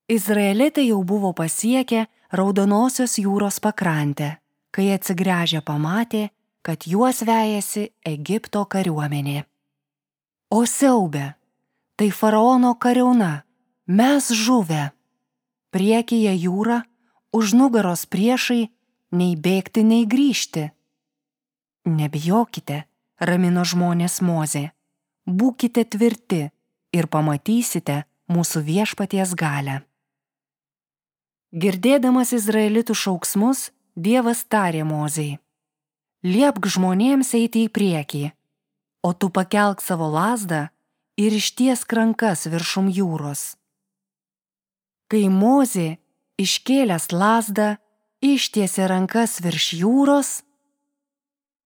Izraelitai jau buvo pasiekę Raudonosios jūros pakrantę, kai atsigręžę pamatė, kad juos vejasi Egipto kariuomenė. O siaube, tai faraono kariauna, mes žuvę. Priekyje jūra, už nugaros priešai, nei bėgti, nei grįžti. Nebijokite, ramino žmonės Mozė, būkite tvirti ir pamatysite mūsų viešpaties galią. Girdėdamas izraelitų šauksmus, Dievas tarė Mozei: liepk žmonėms eiti į priekį, o tu pakelk savo lazdą ir ištiesk rankas viršum jūros. Kai Mozė, iškėlęs lazdą, ištiesė rankas virš jūros,